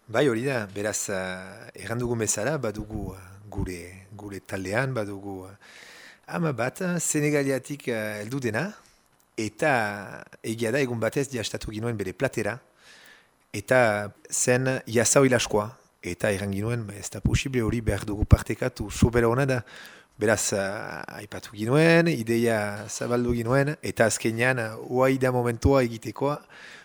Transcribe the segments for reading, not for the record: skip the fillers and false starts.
Bai hori da, beraz, errandugu bezala, badugu gure taldean, badugu ama bat, Senegaliatik heldu dena, eta egia da egun batez diastatu ginuen bere platera, eta zen jasau ilaskoa, eta erran ginuen, ez da posible hori behar dugu partekatu, sobera hona da, beraz, aipatu ginuen, ideia zabaldu ginuen, eta azkenean, oai da momentua egitekoa,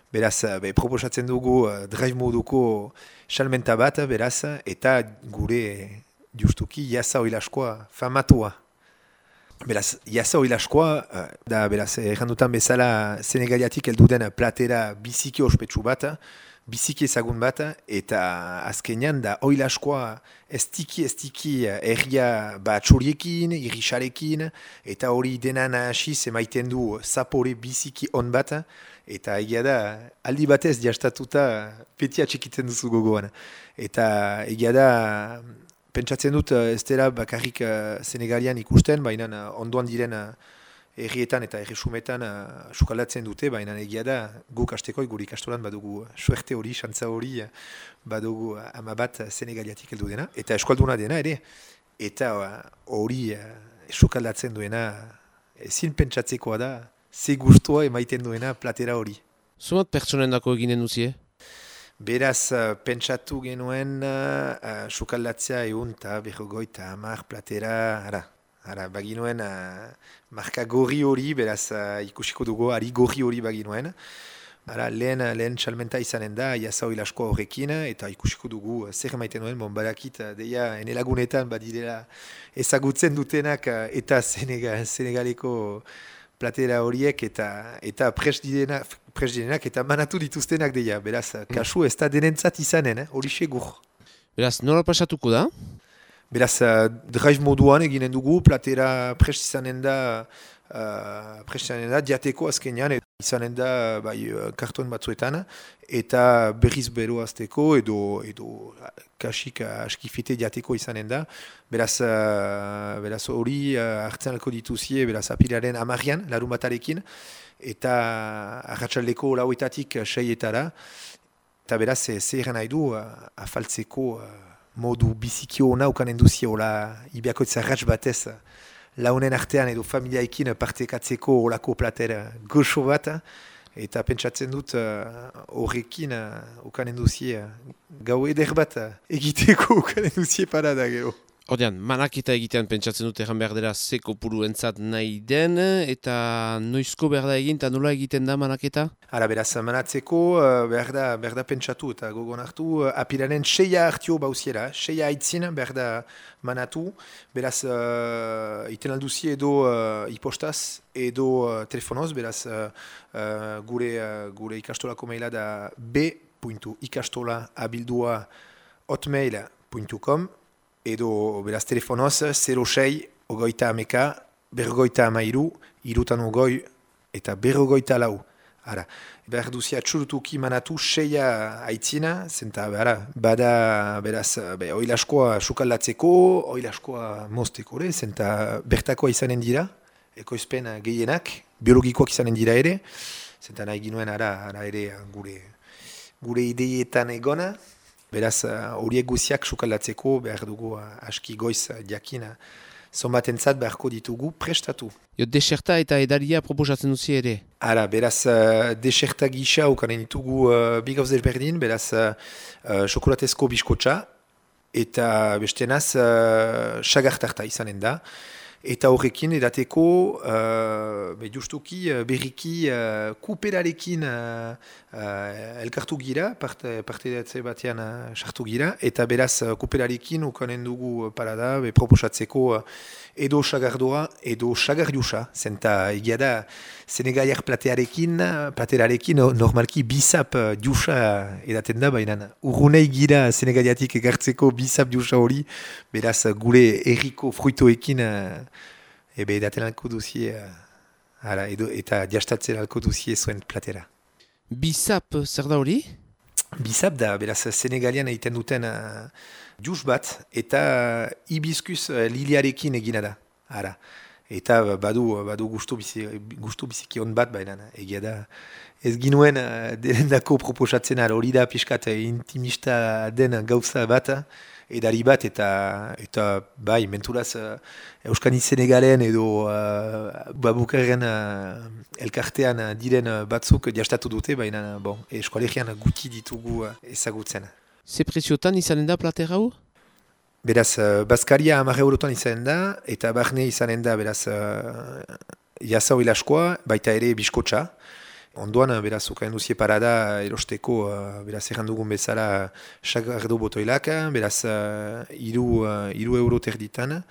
beraz, proposatzen dugu drive moduko salmenta bat, beraz, eta gure justuki jasau ilaskoa famatua. Beraz, jasau ilaskoa, da, beraz, errandutan bezala Senegaliatik heldu den platera biziki ospetsu bat, biziki ezagun bat, eta azkenean da oilaskoa estiki erria batxoriekin, irrisarekin, eta hori denan hasiz emaiten du zapore biziki on bat, eta egia da aldi batez jastatuta petia txikiten duzu gogoan. Eta egia da pentsatzen dut ez dela bakarrik Senegalian ikusten, baina ondoan diren errietan eta erresumetan sukaldatzen dute, baina egia da guk hasteko gure ikastolan badugu suerte hori, xantza hori, badugu ama bat Senegaliatik heldu dena, eta eskualduna dena ere, eta hori sukaldatzen duena ezin pentsatzekoa da, ze gustua emaiten duena platera hori. Zumat pertsonen dako eginen duzie? Beraz, pentsatu genuen sukaldatzea egun eta berrogoita hamar platera, baginuen marka gorri hori, beraz ikusiko dugu, ari gorri hori baginuen. Lehen salmenta izanen da, jasau ilaskoa horrekin, eta ikusiko dugu zer emaiten duen, badakit, deia enelagunetan badirela ezagutzen dutenak eta Senegaleko platera horiek eta prest direnak eta manatu dituztenak deia. Beraz, kasu ez da denentzat izanen, hori segur. Beraz, nola pasatuko da? Beraz, drive moduan eginen dugu, platera prest izanen da diateko azkenean, izanen da karton batzuetan, eta berriz bero azteko edo kasik askifite diateko izanen da. Beraz hori hartzen alko dituzie, beraz apilaren amarrian, larun batarekin, eta arratsaldeko lauetatik seietara, eta beraz zer nahi du afaltzeko modu bizikio naukanen duziola ibiakoitza ratx batez launen artean edo familiaekin partekatzeko olako platera goxo bat, eta pentsatzen dut horrekin ukanen duzie gau eder bat egiteko ukanen duzie parada gero. Ordean, manaketa egitean pentsatzen dut egan behar dela zeko puru entzat nahi den, eta noizko behar da egin, eta nola egiten da manaketa? Beraz, manatzeko behar da pentsatu eta gogon hartu, apilaren 6 hartio bauziera, 6 haitzin behar da manatu, beraz, iten alduzi edo ipostaz edo telefonoz, beraz, gure ikastolako maila da b.ikastola@hotmail.com, edo beraz telefonoz 06 ogoita ameka, bergoita amairu, irutan ogoi eta bergoita lau. Behar duzia txurutuki manatu 6 haitzina, zenta bada beraz oilaskoa sukaldatzeko, oilaskoa mozteko, zenta bertakoa izanen dira, ekoizpen gehienak, biologikoak izanen dira ere, zenta nahi ginuen ere gure ideietan egona. Beraz, horiek guziak sukaldatzeko behar dugu aski goiz jakina zonbatentzat beharko ditugu prestatu. Deserta eta edaria proposatzen duzi ere? Beraz, deserta gisa ukanen ditugu bi gauz desberdin, beraz, xokolatezko biskotxa eta bestenaz sagartarta izanen da. Eta horrekin edateko justuki berriki kuperarekin elkartu gira, parte datze batean sartu gira, eta beraz kuperarekin ukanen dugu parada proposatzeko edo sagardoa edo sagardiusa, zenta egia da Senegaliar platerarekin normalki bizap diusa edaten da, baina urrunei gira Senegaliatik egartzeko bizap diusa hori, beraz gure erriko fruitoekin edaten alko duzie, eta jastatzen alko duzie zuen platera. Bizap, zer da hori? Bizap da, beraz Senegalian egiten duten jus bat, eta hibiskus liliarekin egina da. Eta badu gustu biziki on bat, baina egia da. Ez ginuen derendako proposatzen hori da pixkat intimista den gauza bat, edari bat, eta bai, menturaz Euskani Senegalen edo babukarren elkartean diren batzuk jastatu dute, baina eskoalegian guti ditugu ezagutzen. Ze preziotan izanen da plater hau? Beraz, Baskaria 10 eurotan izanen da, eta barne izanen da, beraz, jazau ilaskoa, baita ere biskotxa. Ondoan, beraz, ukaen duzie parada erosteko, beraz, errandugun bezala sagardo botoilak, beraz, 3 euro terditan,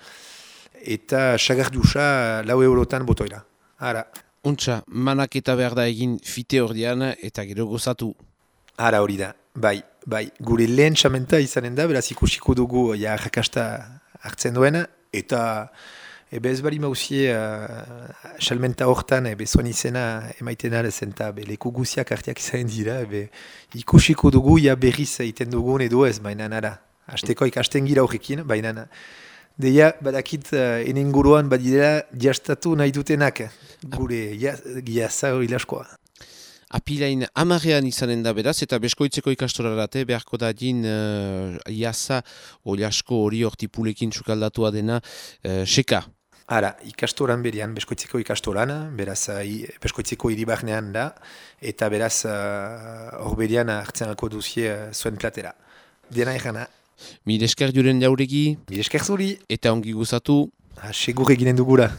eta sagardusa 4 eurotan botoila. Ara. Untxa, manaketa behar da egin fite ordean eta gero gozatu. Ara hori da, bai. Gure lehen txamenta izanen da, beraz, ikusiko dugu jakasta hartzen duena, eta ez bali mauzie salmenta hortan zuen izena emaiten alezen, eta leku guziak arteak izanen dira, ikusiko dugu berriz egiten dugun edo ez, baina nara. Azteko ikasten gira horrekin, baina deia badakit enenguruan badidera jastatu nahi dutenak, gure jazau ilaskoa. Apilain 10ean izanen da beraz, eta beskoitzeko ikastorarate beharko da din jasa oliasko hori hortipulekin sukaldatua dena seka. Ara, ikastoran berian, beskoitzeko ikastoran, beraz beskoitzeko hiribarnean da, eta beraz hor berian hartzen alko duzie zuen platera. Dena erana. Mil esker juren jauregi. Mil esker zuri. Eta ongi gozatu. Segur eginen dugula.